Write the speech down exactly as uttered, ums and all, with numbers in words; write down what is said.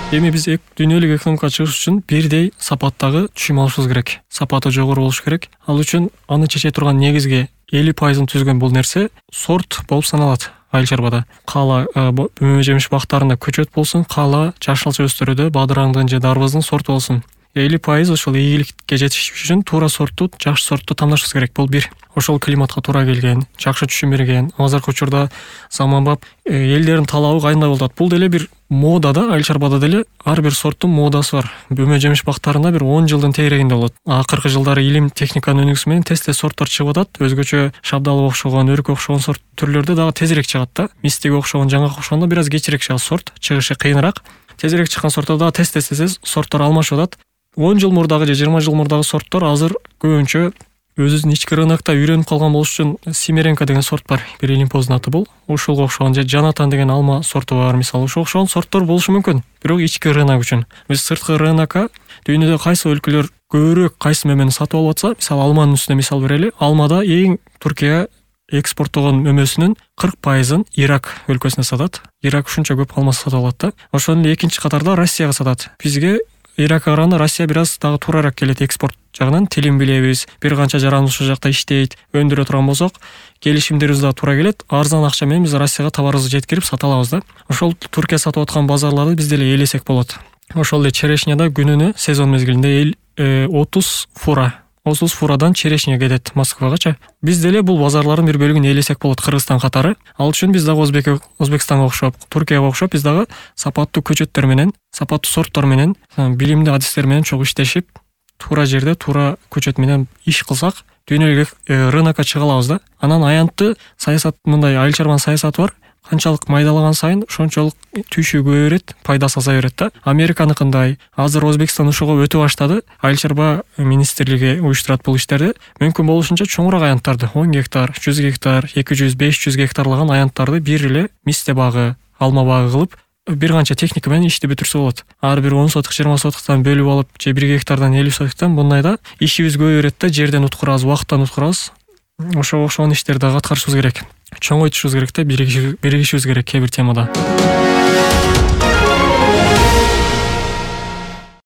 Эми биз дүйнөлүк экономикага чыгыш үчүн бирдей сапаттагы түшүм алышыбыз керек. Сапаты жогору болуш керек. Ал үчүн аны чече турган негизги элүү пайызын түзгөн бул нерсе сорт болуп саналат. Айыл чарбада каала мөмө жемиш бактарында көчөт болсун, каала жашылча өстүрүүдө бадыраңдын же дарбыздын сорту болсун. элүү пайыз ошол ийгиликке жетиш үчүн туура сортту, жакшы сортту тандашыбыз керек. Бул бир. Ошол климатка туура келген, жакшы түшүм берген. Азыркы учурда заманбап элдердин талабы кайдай болуп атат. Бул деле бир мода да, айыл чарбада деле ар бир сорттун модасы бар. Мөмө жемиш бактарында бир он жылдын тегерегинде болот. Акыркы жылдары илим техниканын өнүгүүсү менен тез-тез сорттор чыгып атат. Өзгөчө шабдалга окшогон, өрүккө окшогон сорт түрлөрдө дагы тезирээк чыгат да. Мистиге окшогон, жаңгага окшогондо бир аз кечирээк чыгат сорт, чыгышы кыйыныраак. Тезирээк чыккан сорттор дагы тез-тез тез сорттор алмашып атат. он жыл мурдагы же жыйырма жыл мурдагы сорттор азыр көбүнчө өзүнүн ички рынокто үйрөнүп калган болуш үчүн Симиренко деген сорт бар. Бир илимпоздун аты бул. Ушуга окшогон же Жанатан деген алма сорту бар, мисалы. Ушуга окшогон сорттор болушу мүмкүн. Бирок ички рынок үчүн. Биз сырткы рынокко дүйнөдө кайсы өлкөлөр көбүрөөк кайсы мөмөнү сатып алып атса, мисалы алманын үстүнө мисал берели. Алмада эң Туркия экспорттогон мөмөсүнүн кырк пайызын Ирак өлкөсүнө сатат. Ирак ушунча көп алма сатып алат да. Ошондон эле экинчи катарда Россияга сатат. Бизге Иракка караганда Россия бир аз дагы туурарак келет экспорт жагынан. Тилин билебиз, бир канча жараныбыз ушул жакта иштейт, өндүрө турган болсок, келишимдерибиз дагы туура келет. Арзан акча менен биз Россияга товарыбызды жеткирип сата алабыз да. Ошол Туркия сатып аткан базарларды биз деле ээлесек болот. Ошол эле черешняда күнүнө сезон мезгилинде отуз фура отуз фурадан черешня кетет Москвагачы. Биз деле бул базарлардын бир бөлүгүн ээлесек болот Кыргызстан катары. Ал үчүн биз дагы Өзбек Өзбекстанга окшоп, Туркияга окшоп биз дагы сапаттуу көчөттөр менен, сапаттуу сорттор менен, билимдүү адистер менен чогуу иштешип, туура жерде туура көчөт менен иш кылсак, дүйнөлүк рынокко чыга алабыз да. Анан аянтты саясат, мындай айыл чарбанын саясаты бар. Канчалык майдалаган сайын ошончолук түйшү көбөйө берет, пайдасы азая берет да. Американыкындай азыр Өзбекстан ушуга өтө баштады. Айыл чарба министрлиги уюштурат бул иштерди. Мүмкүн болушунча чоңураак аянттарды, он гектар, жүз гектар, эки жүз, беш жүз гектарлаган аянттарды бир эле мисте багы, алма багы кылып, бир канча техника менен ишти бүтүрсө болот. Ар бир он соток, жыйырма сотоктон бөлүп алып, же бир гектардан элүү сотоктон мындайда ишибиз көбөйө берет да, жерден уткурабыз, убакыттан уткурабыз. Ошого окшогон иштерди дагы аткарышыбыз керек. Чоңойтушубуз керек да, биригишибиз керек кээ бир темада.